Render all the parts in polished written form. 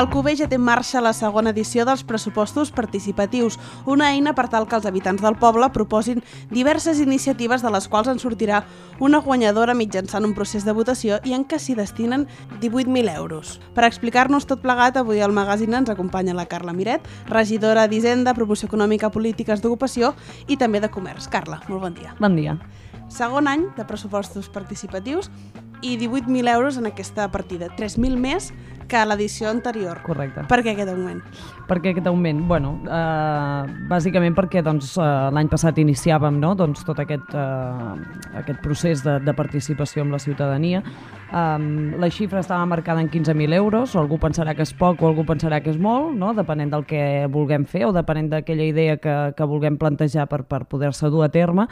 Alcover ja té en marxa la segona edició dels pressupostos participatius, una eina per tal que els habitants del poble proposin diverses iniciatives de les quals en sortirà una guanyadora mitjançant un procés de votació i en què s'hi destinen 18.000 euros. Per explicar-nos tot plegat, avui al magazine ens acompanya la Carla Miret, regidora d'Hisenda, Promoció Econòmica, Polítiques d'Ocupació i també de Comerç. Carla, molt bon dia. Bon dia. Segon any de pressupostos participatius i 18.000 euros en aquesta partida, 3.000 més que a l'edició anterior. Correcte. Per què aquest augment? Per què aquest augment? Bueno, bàsicament perquè l'any passat iniciàvem tot aquest procés de participació amb la ciutadania. La xifra estava marcada en 15.000 euros, algú pensarà que és poc o algú pensarà que és molt, no? Depenent del que vulguem fer o depenent d'aquella idea que vulguem plantejar per poder-se dur a terme.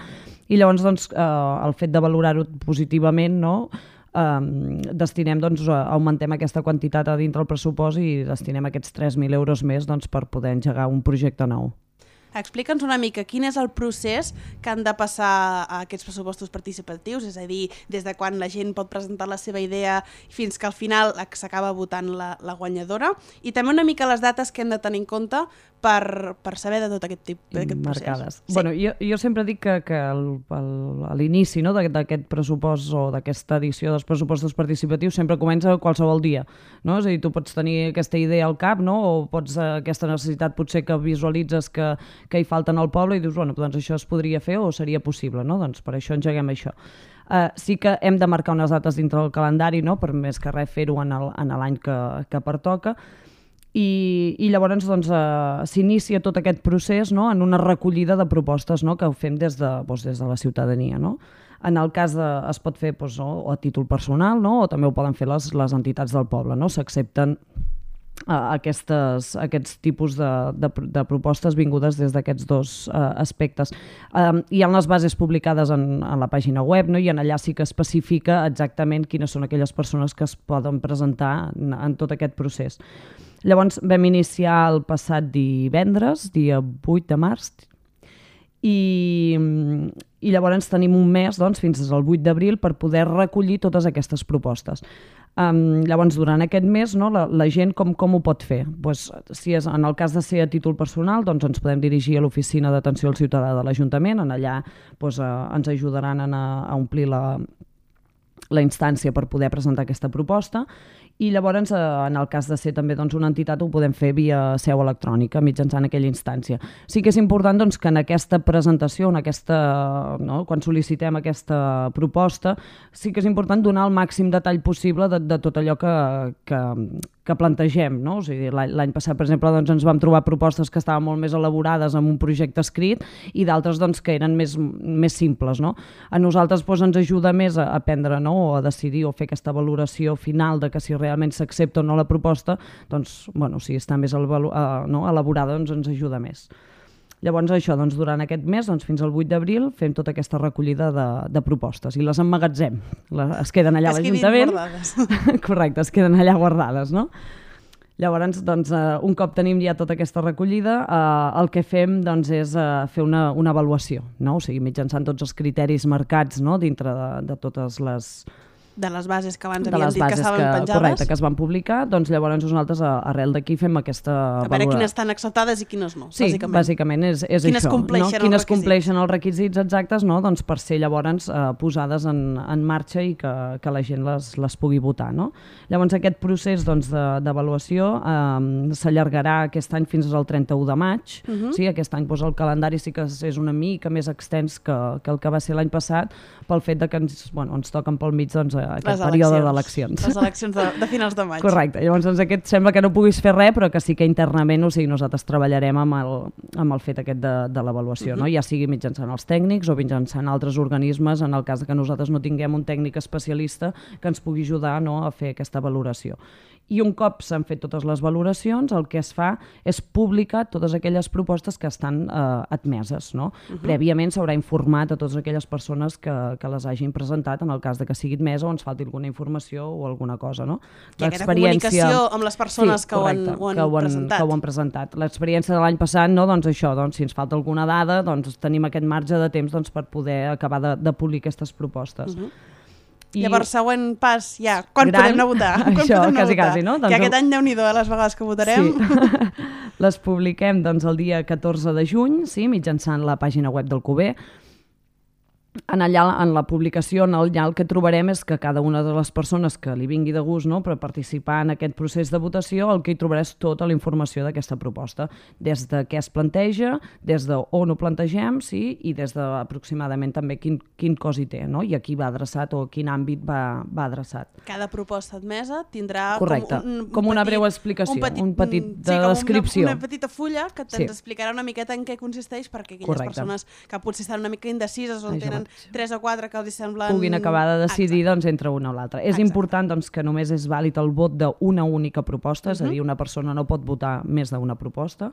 I llavors el fet de valorar-ho positivament, no? Augmentem aquesta quantitat a dintre el pressupost i destinem aquests 3.000 euros més per poder engegar un projecte nou. Explica'ns una mica quin és el procés que han de passar a aquests pressupostos participatius, és a dir, des de quan la gent pot presentar la seva idea fins que al final s'acaba votant la guanyadora, i també una mica les dates que hem de tenir en compte per saber de tot aquest procés. Marcades. Sí. Bueno, jo sempre dic que a l'inici d'aquest pressupost o d'aquesta edició dels pressupostos participatius sempre comença qualsevol dia. No? És a dir, tu pots tenir aquesta idea al cap, no? O pots aquesta necessitat potser que visualitzes que hi falten al poble i dius, bueno, doncs això es podria fer o seria possible, no? Doncs per això engeguem això. Sí que hem de marcar unes dates dintre del calendari, no? Per més que res fer-ho en l'any que pertoca. I llavors s'inicia tot aquest procés, no? En una recollida de propostes, no? Que ho fem des de la ciutadania. No? En el cas es pot fer o a títol personal, no? O també ho poden fer les entitats del poble. No? S'accepten aquests tipus de propostes vingudes des d'aquests dos aspectes. Hi ha les bases publicades en la pàgina web, no? I en allà sí que especifica exactament quines són aquelles persones que es poden presentar en tot aquest procés. Llavors vam iniciar el passat divendres, dia 8 de març, i llavors tenim un mes fins al 8 d'abril per poder recollir totes aquestes propostes. Llavors, durant aquest mes, no, la gent com ho pot fer? Si és en el cas de ser a títol personal, ens podem dirigir a l'oficina d'atenció al ciutadà de l'Ajuntament, en allà ens ajudaran a omplir la instància per poder presentar aquesta proposta, i llavors en el cas de ser també una entitat ho podem fer via seu electrònica mitjançant aquella instància. Sí que és important que en aquesta presentació, quan sol·licitem aquesta proposta, sí que és important donar el màxim detall possible de tot allò que plantegem. No? O sigui, l'any passat, per exemple, ens vam trobar propostes que estaven molt més elaborades amb un projecte escrit i d'altres que eren més simples. No? A nosaltres ens ajuda més a aprendre, no? O a decidir o fer aquesta valoració final de que si realment s'accepta o no la proposta, si està més elaborada ens ajuda més. Llavors això, durant aquest mes, fins al 8 d'abril, fem tota aquesta recollida de propostes i les emmagatzem. Es queden allà a l'Ajuntament. Correcte, es queden allà guardades, no? Llavors, un cop tenim ja tota aquesta recollida, el que fem és fer una avaluació, no? O sigui, mitjançant tots els criteris marcats, no? Dintre de totes les... De les bases que abans havíem dit que estaven penjades. Correcte, que es van publicar, llavors nosaltres arrel d'aquí fem aquesta valoració. A veure quines estan acceptades i quines no, sí, bàsicament és quines això. Quines compleixen els requisits exactes, no? Per ser llavors posades en marxa i que la gent les pugui votar. No? Llavors aquest procés d'avaluació s'allargarà aquest any fins al 31 de maig. Sí, aquest any el calendari sí que és una mica més extens que el que va ser l'any passat, pel fet que ens toquen pel mig aquest període d'eleccions. Les eleccions de finals de maig. Correcte. Llavors aquest sembla que no puguis fer res, però que sí que internament, nosaltres treballarem amb el fet aquest de l'avaluació, no? Ja sigui mitjançant els tècnics o mitjançant altres organismes, en el cas que nosaltres no tinguem un tècnic especialista que ens pugui ajudar a fer aquesta valoració. I un cop s'han fet totes les valoracions, el que es fa és publicar totes aquelles propostes que estan admeses. No? Prèviament s'haurà informat a totes aquelles persones que les hagin presentat, en el cas de que sigui admesa o ens falti alguna informació o alguna cosa. No? I aquesta comunicació amb les persones que ho han presentat. L'experiència de l'any passat, si ens falta alguna dada, tenim aquest marge de temps per poder acabar de polir aquestes propostes. Llavors, següent pas, ja, quan gran, podem anar a votar? Això, quasi, no? Que aquest any, Déu-n'hi-do, les vegades que votarem. Sí. Les publiquem doncs, el dia 14 de juny, sí, mitjançant la pàgina web del CUBE. En la publicació, allà el que trobarem és que cada una de les persones que li vingui de gust, no, per participar en aquest procés de votació, el que hi trobarà és tota la informació d'aquesta proposta, des de què es planteja, des d'on ho plantegem, sí, i des d'aproximadament també quin cos hi té, no? I a qui va adreçat o a quin àmbit va adreçat. Cada proposta admesa tindrà com una breu explicació, un petit descripció. Una petita fulla que ens explicarà una miqueta en què consisteix, perquè aquelles persones que potser estan una mica indecises o tenen 3 o 4 que els semblen... puguin acabar de decidir doncs, entre una o l'altra. És important doncs, que només és vàlid el vot d'una única proposta, és a dir, una persona no pot votar més d'una proposta,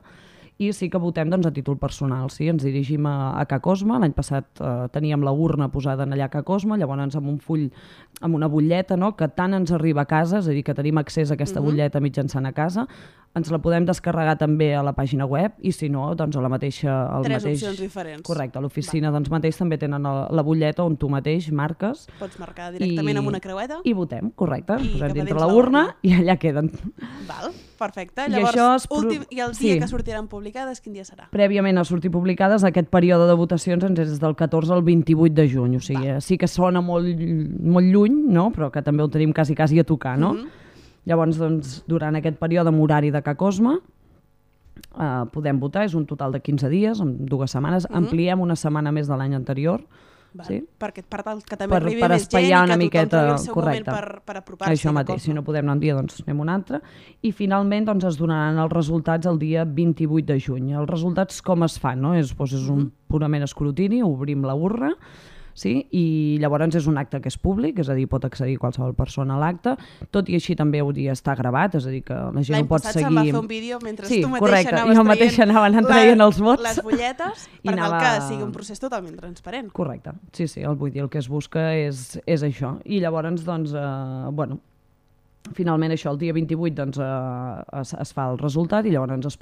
i sí que votem doncs, a títol personal. Sí? Ens dirigim a Ca Cosma. L'any passat teníem la urna posada allà a Ca Cosma, llavors amb un full, amb una butlleta, no? Que tant ens arriba a casa, és a dir, que tenim accés a aquesta butlleta mitjançant a casa, ens la podem descarregar també a la pàgina web i si no, doncs a la mateixa... Opcions diferents. Correcte, a l'oficina doncs, mateix també tenen la butlleta on tu mateix marques. Pots marcar directament amb una creueta. I votem, correcte. Posem dintre la urna i allà queden. Val, perfecte. Llavors, i el dia que sortiran publicades, quin dia serà? Prèviament a sortir publicades, aquest període de votacions ens és del 14 al 28 de juny, o sigui, sí que sona molt lluny, no? Però que també ho tenim quasi a tocar, no? Llavors, doncs, durant aquest període amb horari de Ca Cosma podem votar, és un total de 15 dies, en 2 setmanes, ampliem una setmana més de l'any anterior. Sí? Perquè per tal que també arribi més gent i que tothom tingui el seu moment per apropar-se. Això mateix, si no podem anar un dia, doncs anem un altre. I finalment doncs, es donaran els resultats el dia 28 de juny. Els resultats com es fan? No? És un purament escrutini, obrim la urna, sí? I llavors és un acte que és públic, és a dir, pot accedir qualsevol persona a l'acte, tot i així també hauria d'estar gravat, és a dir, que la gent ho pot seguir... L'any passat se'n va fer un vídeo mentre tu mateix anaves traient els vots. Les butlletes, per tal que sigui un procés totalment transparent. Correcte, sí, vull dir, el que es busca és això. I llavors, doncs, finalment això, el dia 28 doncs, es fa el resultat i llavors es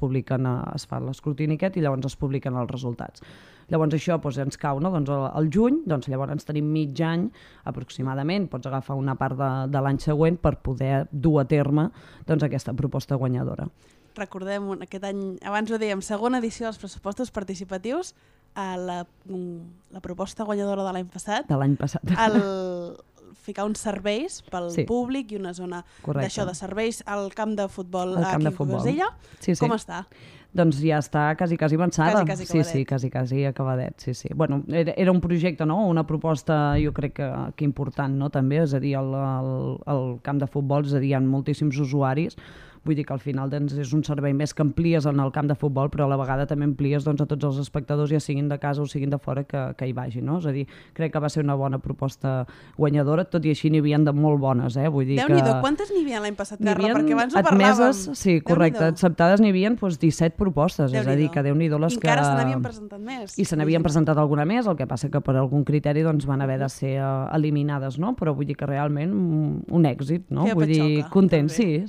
fa l'escrutini aquest i llavors es publiquen els resultats. Llavors això ens cau al juny, llavors tenim mig any aproximadament, pots agafar una part de l'any següent per poder dur a terme aquesta proposta guanyadora. Recordem, aquest any, abans ho dèiem, segona edició dels pressupostos participatius, la proposta guanyadora de l'any passat. De l'any passat. Ficar uns serveis pel públic i una zona d'això de serveis al camp de futbol aquí a Cosella. Com està? Doncs ja està quasi avançada. Quasi acabadet. Sí. Bueno, era un projecte, no? Una proposta jo crec que important, no? També, és a dir, el camp de futbol, és a dir, hi ha moltíssims usuaris. Vull dir que al final és un servei més que amplies en el camp de futbol, però a la vegada també amplies a tots els espectadors, ja siguin de casa o siguin de fora, que hi vagin. No? És a dir, crec que va ser una bona proposta guanyadora, tot i així n'hi havia de molt bones. Vull dir Déu-n'hi-do, quantes n'hi havia l'any passat, Carla? Perquè abans ho parlàvem. Sí, correcte, acceptades n'hi havia 17 propostes, és a dir, que Déu-n'hi-do les que... I encara se n'havien presentat més. I se n'havien presentat alguna més, el que passa que per algun criteri van haver de ser eliminades, no? Però vull dir que realment un èxit, no? Vull dir, content, sí.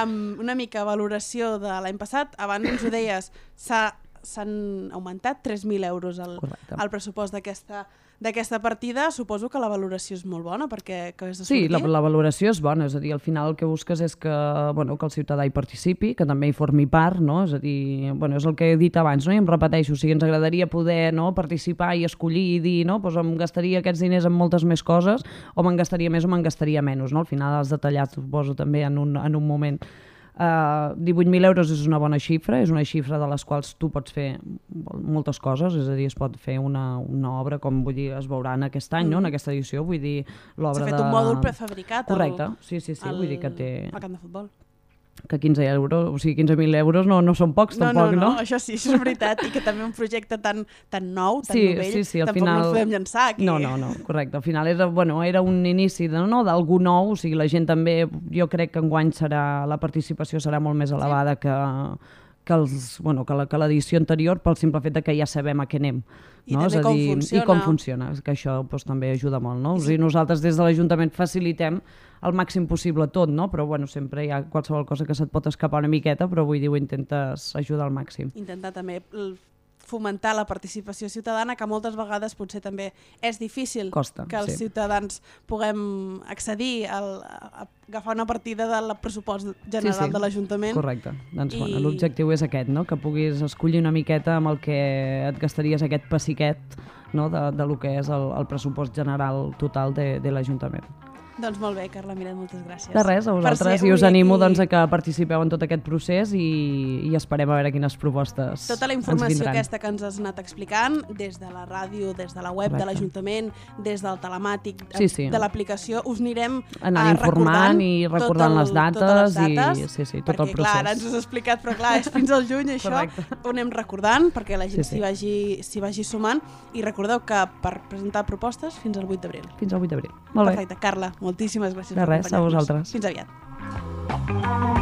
Una mica valoració de l'any passat, abans ho deies, s'han augmentat 3.000 euros el pressupost d'aquesta partida. Suposo que la valoració és molt bona perquè és de sortir. Sí, la valoració és bona, és a dir, al final el que busques és que el ciutadà hi participi, que també hi formi part, no? És a dir, és el que he dit abans, no? I em repeteixo, o sigui, ens agradaria poder participar i escollir i dir, no? Em gastaria aquests diners en moltes més coses, o me'n gastaria més o me'n gastaria menys, no? Al final has detallat, suposo, també en un moment. 18.000 euros és una bona xifra, és una xifra de les quals tu pots fer moltes coses, és a dir, es pot fer una obra, com vull dir, es veurà en aquest any, no? En aquesta edició, vull dir, l'obra de... S'ha fet un mòdul prefabricat correcte, sí, vull dir que té... al camp de futbol. Que 15.000 euros no són pocs, tampoc, no? No, això sí, això és veritat, i que també un projecte tan nou, tan novell, tampoc no el podem llançar aquí. No, correcte, al final era un inici d'algú nou, o sigui, la gent també, jo crec que enguany la participació serà molt més elevada que l'edició anterior, pel simple fet que ja sabem a què anem. I també com funciona, que això també ajuda molt, no? O sigui, nosaltres des de l'Ajuntament facilitem el màxim possible tot, no? Però sempre hi ha qualsevol cosa que se't pot escapar una miqueta, però vull dir, ho intentes ajudar al màxim. Intentar també fomentar la participació ciutadana, que moltes vegades potser també és difícil que els ciutadans puguem accedir a agafar una partida del pressupost general de l'Ajuntament. Correcte. Doncs l'objectiu és aquest, no? Que puguis escollir una miqueta amb el que et gastaries aquest pessiquet, no? de lo que és el pressupost general total de l'Ajuntament. Doncs molt bé, Carla Miret, moltes gràcies. De res, a vosaltres, i us animo a que participeu en tot aquest procés i esperem a veure quines propostes ens vindran. Tota la informació aquesta que ens has anat explicant, des de la ràdio, des de la web de l'Ajuntament, des del telemàtic, de l'aplicació, us anirem informant i recordant les dates, tot el procés. Perquè clar, ara ens ho has explicat, però clar, és fins al juny això, ho anem recordant perquè la gent s'hi vagi sumant, i recordeu que per presentar propostes fins al 8 d'abril. Fins al 8 d'abril. Molt bé. Perfecte, Carla, moltíssimes gràcies per acompanyar-nos. De res, a vosaltres. Fins aviat.